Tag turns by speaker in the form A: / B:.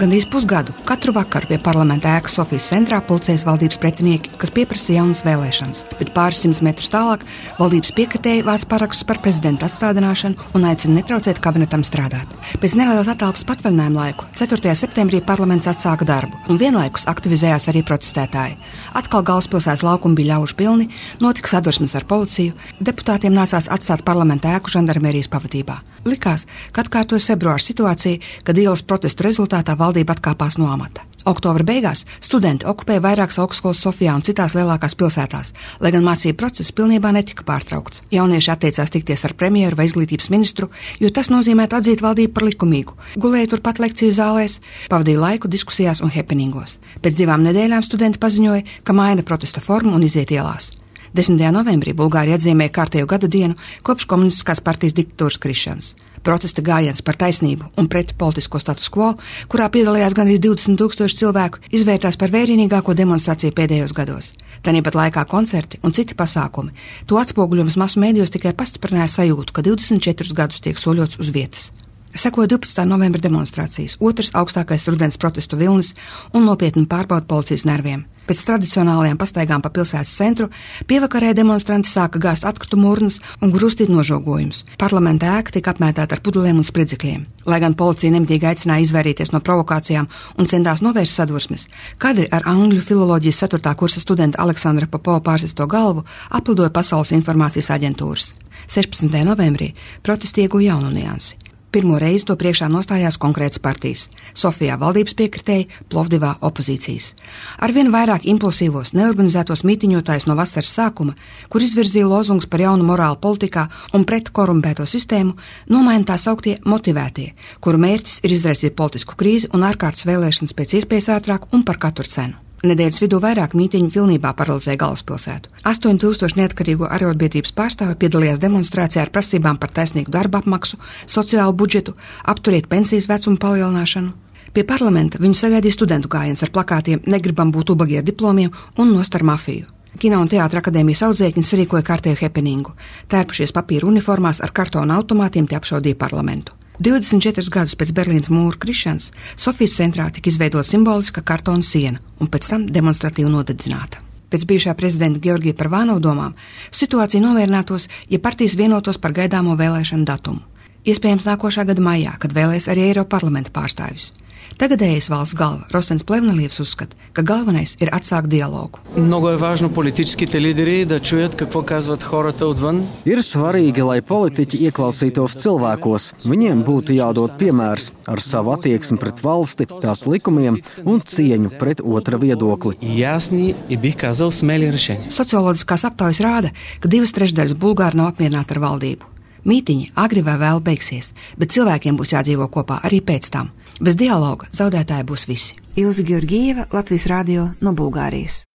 A: Gandrīz pusgadu katru vakaru pie parlamenta ēkas Sofijas centrā pulcējas valdības pretinieki, kas pieprasa jaunas vēlēšanas, bet pāris simtus metrus tālāk valdības piekritēji vāc parakstus par prezidenta atstādināšanu un aicina netraucēt kabinetam strādāt. Pēc nelielas attālpas patvaļinājuma laiku 4. septembrī parlaments atsāka darbu, un vienlaikus aktivizējās arī protestētāji. Atkal galvaspilsētas laukumi bija ļaužu pilni, notika sadursmes ar policiju, deputātiem nācās atstāt parlamenta ēku žandarmērijas pavadībā. Likās, ka atkārtojas februāra situācija, kad ielas protestu rezultātā valdība atkāpās no amata. Oktobra beigās studenti okupēja vairākas augstskolas Sofijā un citās lielākās pilsētās, lai gan mācību process pilnībā netika pārtraukts. Jaunieši atteicās tikties ar premjeru vai izglītības ministru, jo tas nozīmētu atzīt valdību par likumīgu. Gulēja turpat lekciju zālēs, pavadīja laiku diskusijās un hepeningos. Pēc 2 nedēļām studenti paziņoja, ka maina protesta formu un iziet ielās. 10. novembrī Bulgārija atzīmēja kārtējo gadu dienu kopš komunistiskās partijas diktatūras krišanas. Protesta gājiens par taisnību un pret politisko status quo, kurā piedalījās gandrīz 20,000 cilvēku, izvērtās par vērienīgāko demonstrāciju pēdējos gados. Tāpat laikā koncerti un citi pasākumi. To atspoguļojums masu mēdījos tikai pastiprināja sajūtu, ka 24 gadus tiek soļots uz vietas. Sekoja 12. novembra demonstrācijas, otrs augstākais rudens protestu vilnis un nopietni pārbauda policijas nerviem. Pēc tradicionālajām pastaigām pa pilsētas centru pievakarē demonstranti sāka gāzt atkritumu urnas un grūstīt nožogojumus. Parlamenta ēka tika apmētāta ar pudelēm un spridzekļiem. Lai gan policija nemitīgi aicināja izvairīties no provokācijām un centās novērst sadursmes, kadri ar angļu filoloģijas 4. kursa studenta Aleksandra Popova pārsisto galvu aplidoja Pasaules informācijas aģentūras. 16. novembrī protesti ieguva jaunu niansi. Pirmo reizi to priekšā nostājās konkrētas partijas – Sofijā valdības piekritēji, Plovdivā opozīcijas. Arvien vairāk impulsīvos, neorganizētos mītiņotājus no vasaras sākuma, kur izvirzīja lozungus par jaunu morālu politikā un pret korumpēto sistēmu, nomaina tā sauktie motivētie, kuru mērķis ir izraisīt politisku krīzi un ārkārtas vēlēšanas pēc iespējas ātrāk un par katru cenu. Nedēļas vidū vairāk mītiņu pilnībā paralizēja galvaspilsētu. 8,000 neatkarīgo arotbiedrības pārstāvi piedalījās demonstrācijā ar prasībām par taisnīgu darba apmaksu, sociālu budžetu, apturiet pensijas vecumu palielināšanu. Pie parlamenta viņu sagaidīja studentu gājiens ar plakātiem "Negribam būt ubagi ar diplomiem" un "Nost ar mafiju". Kino un teātra akadēmijas audzēkņi sarīkoja kārtēju hepeningu. Tērpušies papīra uniformās ar kartona automātiem tie apšaudīja parlamentu. 24 gadus pēc Berlīnas mūra krišanas Sofijas centrā tika izveidota simboliska kartona siena un pēc tam demonstratīvi nodedzināta. Pēc bijušā prezidenta Georgija Parvānova domām situācija nomierinātos, ja partijas vienotos par gaidāmo vēlēšanu datumu. Iespējams nākošā gada maijā, kad vēlēs arī Eiroparlamenta pārstāvjus. Tagadējais valsts galva Rostens Plevnelievs uzskata, ka galvenais ir atsākt dialogu.
B: Ir svarīgi, lai politiķi ieklausītos cilvēkos. Viņiem būtu jādod piemērs ar savu attieksmi pret valsti, tās likumiem un cieņu pret otra viedokli.
A: Socioloģiskās aptaujas rāda, ka 2/3 bulgāri nav apmierināti ar valdību. Mītiņi agri vai vēl beigsies, bet cilvēkiem būs jādzīvo kopā arī pēc tam. Bez dialoga zaudētāji būs visi. Ilze Georgieva, Latvijas radio no Bulgārijas.